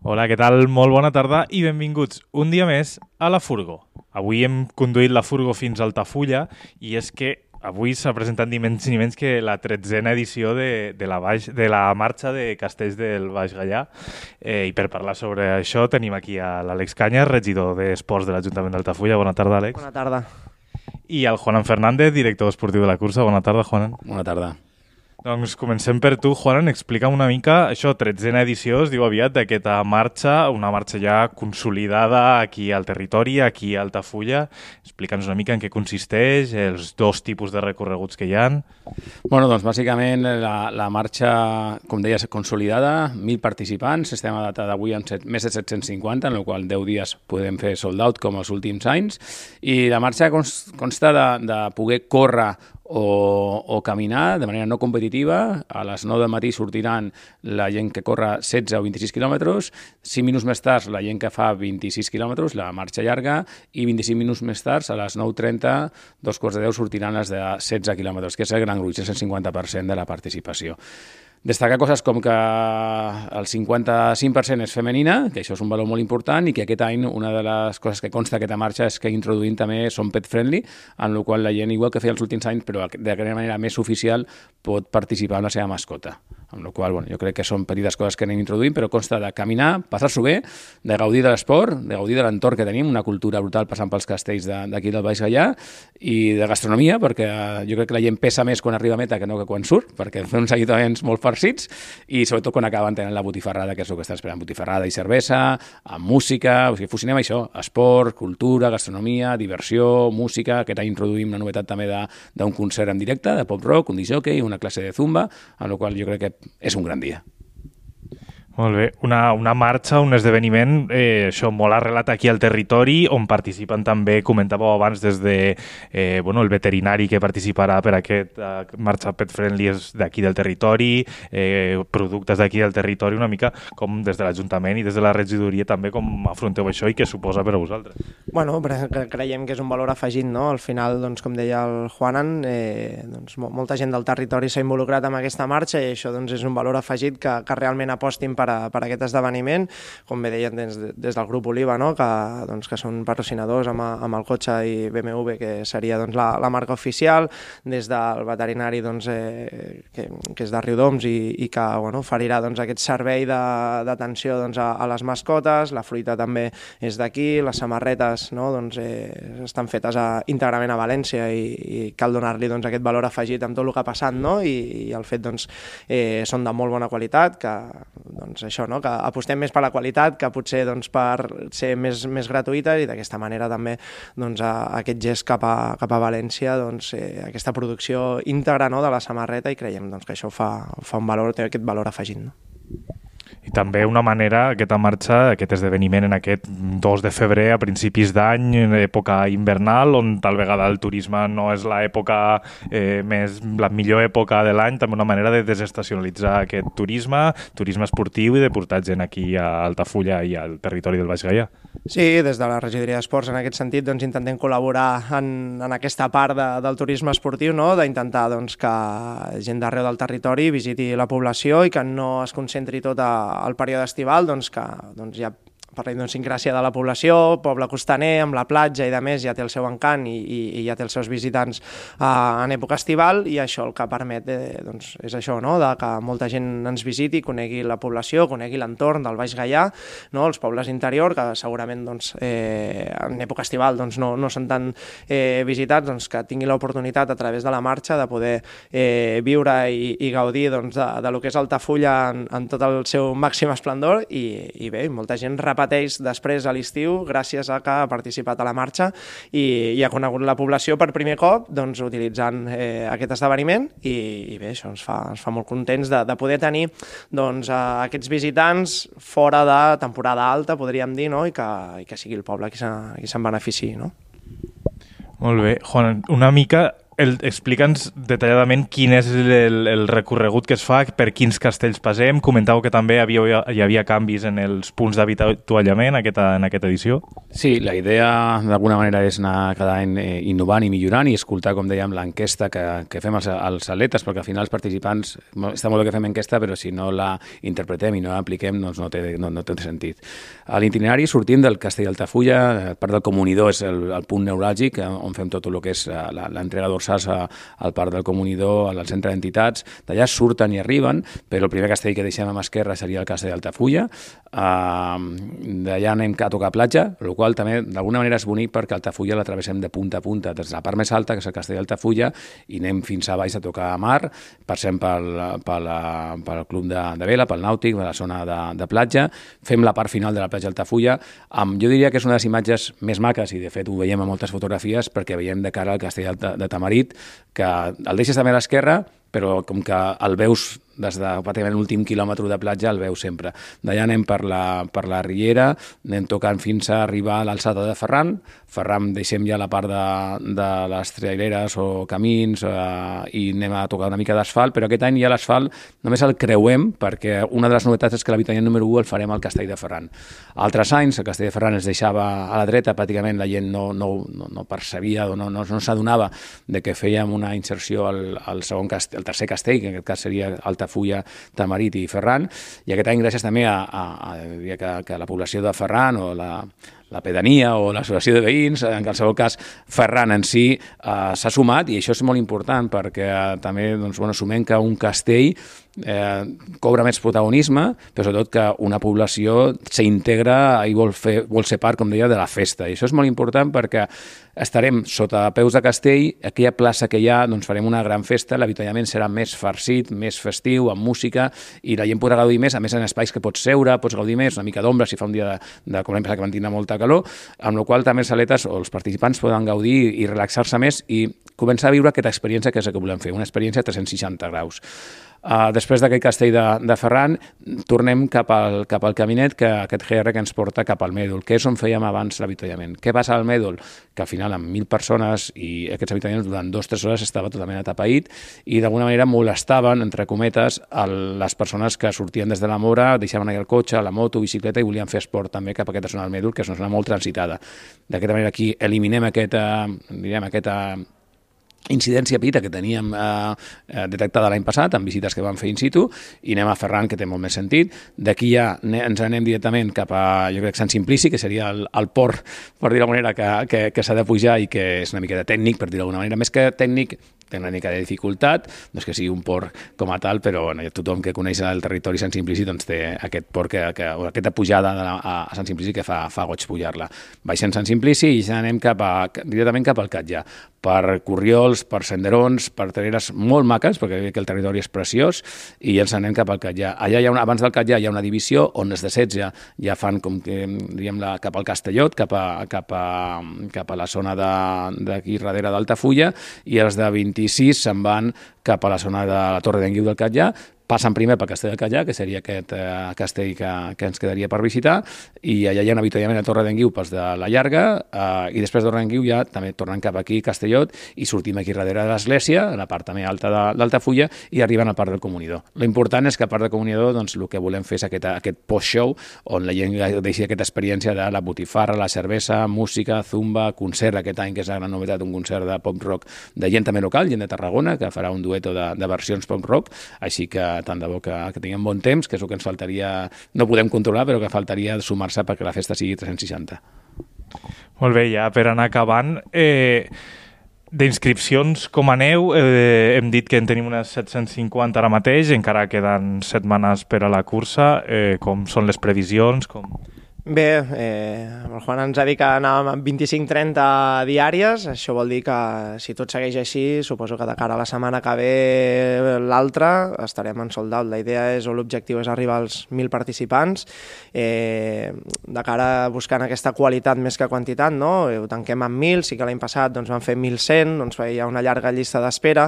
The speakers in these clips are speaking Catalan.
Hola, què tal? Molt bona tarda i benvinguts un dia més a la Furgo. Avui hem conduït la Furgo fins a Altafulla i és que avui s'ha presentat ni menys ni menys que la 13a edició de la marxa de Castells del Baix Gaià. I per parlar sobre això tenim aquí a l'Àlex Cañas, regidor d'Esports de l'Ajuntament d'Altafulla. Bona tarda, Àlex. Bona tarda. I el Juanan Fernández, director esportiu de la cursa. Bona tarda, Juanan. Bona tarda. Doncs comencem per tu, Juanan. Explica'm una mica, això, 13a edició, es diu aviat, d'aquesta marxa, una marxa ja consolidada aquí al territori, aquí a Altafulla. Explica'ns una mica en què consisteix, els dos tipus de recorreguts que hi ha. Bueno, doncs bàsicament la marxa, com deies, consolidada, 1.000 participants, estem a data d'avui amb més de 750, en la qual 10 dies podem fer sold out com els últims anys, i la marxa consta de poder córrer o caminar de manera no competitiva. A les 9 del matí sortiran la gent que corre 16 o 26 quilòmetres, 5 minuts més tard la gent que fa 26 quilòmetres, la marxa llarga, i 25 minuts més tard, a les 9:30, 9:45, sortiran les de 16 quilòmetres, que és el gran gruix, és el 50% de la participació. Destacar coses com que el 55% és femenina, que això és un valor molt important, i que aquest any una de les coses que consta aquesta marxa és que introduïm també som pet friendly, en la qual la gent, igual que feia els últims anys, però d'aquella manera més oficial, pot participar amb la seva mascota. Amb la qual jo crec que són petites coses que anem introduint, però consta de caminar, passar-s'ho bé, de gaudir de l'esport, de gaudir de l'entorn que tenim, una cultura brutal passant pels castells d'aquí del Baix Gaià, i de gastronomia, perquè jo crec que la gent pesa més quan arriba a meta que no que quan surt, perquè fa uns allitaments molt farcits, i sobretot quan acaben tenint la botifarrada, que és el que està esperant, botifarrada i cervesa, amb música, o sigui, fusionem això, esport, cultura, gastronomia, diversió, música. Aquest any introduïm una novetat també d'un concert en directe, de pop rock, un disc jockey, una classe de zumba, amb la qual jo crec que és un gran dia. Molt bé. Una marxa, un esdeveniment, això molt arrelat aquí al territori, on participen també, comentàveu abans, des de el veterinari que participarà per aquest marxa pet friendly és d'aquí del territori, productes d'aquí del territori, una mica com des de l'Ajuntament i des de la regidoria també com afronteu això i què suposa per a vosaltres. Bueno, creiem que és un valor afegit, no? Al final, doncs, com deia el Juanan, molta gent del territori s'ha involucrat en aquesta marxa i això doncs, és un valor afegit que realment apostin per aquest esdeveniment, com bé deien des del grup Oliva, no? que són patrocinadors amb el cotxe i BMW, que seria doncs, la marca oficial, des del veterinari doncs, que és de Riudoms i que oferirà doncs, aquest servei d'atenció doncs, a les mascotes. La fruita també és d'aquí, les samarretes doncs, estan fetes íntegrament a València i cal donar-li doncs, aquest valor afegit amb tot el que ha passat, no? I el fet doncs, són de molt bona qualitat, que doncs, això, no? Que apostem més per la qualitat que potser doncs, per ser més gratuïtes, i d'aquesta manera també doncs, aquest gest cap a València, doncs, aquesta producció íntegra, no? De la samarreta, i creiem doncs, que això fa un valor, té aquest valor afegit. No? I també una manera, aquesta marxa, aquest esdeveniment en aquest 2 de febrer a principis d'any, en època invernal, on tal vegada el turisme no és la millor època de l'any, també una manera de desestacionalitzar aquest turisme esportiu i de portar gent aquí a Altafulla i al territori del Baix Gaià. Sí, des de la regidoria d'Esports en aquest sentit doncs, intentem col·laborar en aquesta part del turisme esportiu, no? D'intentar doncs, que gent d'arreu del territori visiti la població i que no es concentri tot al període estival, doncs, que doncs, ja per la idiosincràsia de la població, poble costaner, amb la platja i de més, ja té el seu encant i ja té els seus visitants en època estival, i això el que permet doncs, és això, no? De que molta gent ens visiti, conegui la població, conegui l'entorn del Baix Gaià, no? Els pobles interior, que segurament doncs, en època estival doncs, no són tan visitats, doncs, que tingui l'oportunitat a través de la marxa de poder viure i gaudir doncs, de lo que és Altafulla en tot el seu màxim esplendor, i bé, molta gent repeteix després a l'estiu gràcies a que ha participat a la marxa i ha conegut la població per primer cop doncs, utilitzant aquest esdeveniment, i bé, això ens fa molt contents de poder tenir doncs, aquests visitants fora de temporada alta, podríem dir, no? I que sigui el poble qui se'n beneficiï. No? Molt bé. Juan, una mica Explica'ns detalladament quin és el recorregut que es fa, per quins castells passem. Comentàveu que també hi havia canvis en els punts d'avituallament en aquesta edició. Sí, la idea d'alguna manera és anar cada any innovant i millorant i escoltar, com dèiem, l'enquesta que fem als atletes, perquè al final els participants, està molt bé que fem enquesta, però si no la interpretem i no l'apliquem doncs no té sentit. A l'itinerari sortim del Castell d'Altafulla, part del Comunidor és el punt neuràlgic on fem tot el que és l'entrega dorsals al Parc del Comunidor, al centre d'entitats. D'allà surten i arriben, però el primer castell que deixem a mà esquerra seria el Castell d'Altafulla. D'allà anem a tocar platja, el qual també d'alguna manera és bonic perquè Altafulla la travessem de punta a punta, des de la part més alta, que és el Castell d'Altafulla, i anem fins a baix a tocar a mar, passem pel club de vela, pel nàutic, per la zona de platja, fem la part final de la platja d'Altafulla. Jo diria que és una de les imatges més maques, i de fet ho veiem a moltes fotografies, perquè veiem de cara al Castell de Tamarit, que el deixes també a l'esquerra, però com que el veus des de pràcticament l'últim quilòmetre de platja, el veus sempre. D'allà anem per la Riera, anem tocant fins a arribar a l'alçada de Ferran. Ferran deixem ja la part de les traileres o camins i anem a tocar una mica d'asfalt, però aquest any ja l'asfalt només el creuem, perquè una de les novetats és que l'avituallament número 1 el farem al Castell de Ferran. Altres anys el Castell de Ferran es deixava a la dreta, pràcticament la gent no percebia o no s'adonava de que fèiem una inserció al segon castell, el tercer castell, que en aquest cas seria Altafulla, Tamarit i Ferran, i aquest any gràcies també que la població de Ferran o la pedania o l'associació de veïns, en qualsevol cas Ferran en si s'ha sumat, i això és molt important perquè també sumem que un castell cobra més protagonisme, però sobretot que una població s'integra i vol ser part, com deia, de la festa. I això és molt important perquè estarem sota peus de castell, aquella plaça que hi ha, doncs farem una gran festa, l'avituallament serà més farcit, més festiu, amb música, i la gent podrà gaudir més, a més en espais que pots seure, pots gaudir més, una mica d'ombra si fa un dia com l'any passat que van tindre molta calor, amb la qual cosa també els atletes o els participants poden gaudir i relaxar-se més i començar a viure aquesta experiència que és el que volem fer, una experiència a 360 graus. Després d'aquest castell de Ferran, tornem cap al caminet, aquest GR que ens porta cap al Mèdol, que és on fèiem abans l'avituallament. Què passa al Mèdol? Que al final amb 1.000 persones i aquests avituallaments durant 2-3 hores estava totalment atapeït i d'alguna manera molestaven, entre cometes, les persones que sortien des de la Mora, deixaven allà el cotxe, la moto, bicicleta i volien fer esport també cap a aquesta zona del Mèdol, que és una zona molt transitada. D'aquesta manera aquí eliminem aquesta incidència petita que teníem detectada l'any passat amb visites que vam fer in situ i anem a Ferran, que té molt més sentit. D'aquí ja ens anem directament cap a, jo crec, Sant Simplici, que seria el port, per dir d'alguna manera, que s'ha de pujar i que és una mica de tècnic, per dir d'alguna manera. Més que tècnic, té una mica de dificultat, no és que sigui un port com a tal, però tothom que coneix el territori Sant Simplici doncs té aquest port, aquesta pujada a Sant Simplici que fa goig pujar-la. Baixem Sant Simplici i ja anem directament cap al Catllà, per corriols, per senderons, per terreres molt maques, perquè el territori és preciós, i ens anem cap al Catllà. Allà abans del Catllà hi ha una divisió on els de 16 ja fan com que diguem cap al Castellot, cap a la zona d'aquí darrere d'Altafulla, i els de 26 se'n van cap a la zona de la Torre d'en Guiu del Catllà, passen primer pel Castell del Catllà, que seria aquest castell que ens quedaria per visitar, i allà hi ha un avituallament a Torre d'en Guiu pels de la Llarga, i després de Torre d'en Guiu ja també tornen cap aquí, Castellot, i sortim aquí darrere de l'església, a la part també alta d'Altafulla, i arriben al Parc del Comunidor. L'important és que al Parc del Comunidor doncs, el que volem fer és aquest post-show, on la gent deixi aquesta experiència de la botifarra, la cervesa, música, zumba, concert, aquest any que és la gran novetat, un concert de pop-rock de gent també local, gent de Tarragona, que farà un dueto de versions pop-rock, així que tant de bo que tinguem bon temps, que és el que ens faltaria, no podem controlar, però que faltaria sumar-se perquè la festa sigui 360. Molt bé, ja per anar acabant, d'inscripcions com aneu, hem dit que en tenim unes 750 ara mateix, encara queden setmanes per a la cursa, com són les previsions? Bé, el Juan ens ha dit que anàvem amb 25-30 diàries, això vol dir que si tot segueix així, suposo que de cara a la setmana que ve l'altra estarem en sold out. La idea és, o l'objectiu és arribar als 1.000 participants, de cara a buscant aquesta qualitat més que quantitat, no? Ho tanquem amb 1.000, sí que l'any passat doncs, vam fer 1.100, doncs hi ha una llarga llista d'espera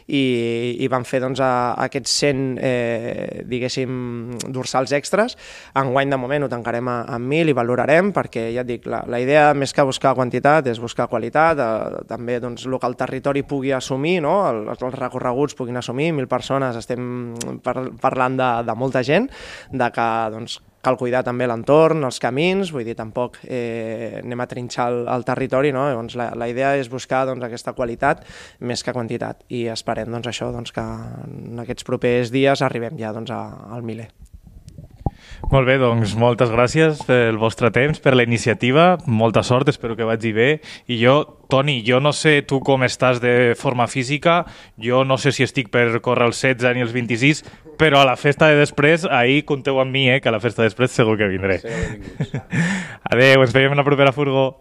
i vam fer doncs, aquests 100, diguéssim, dorsals extras. Enguany de moment ho tancarem a amb 1.000 i valorarem, perquè ja et dic, la idea més que buscar quantitat és buscar qualitat, també doncs, el que el territori pugui assumir, no? Els recorreguts puguin assumir, 1.000 persones, estem parlant de molta gent, de que doncs, cal cuidar també l'entorn, els camins, vull dir, tampoc anem a trinxar el territori, no? Llavors, la idea és buscar doncs, aquesta qualitat més que quantitat i esperem doncs, això, doncs, que en aquests propers dies arribem ja doncs, al miler. Molt bé, doncs moltes gràcies pel vostre temps, per la iniciativa, molta sort, espero que vagi bé. I jo, Toni, jo no sé tu com estàs de forma física, jo no sé si estic per córrer els 16 ni els 26, però a la festa de després, ahir compteu amb mi, que a la festa de després segur que vindré. Adéu, ens veiem en la propera furgó.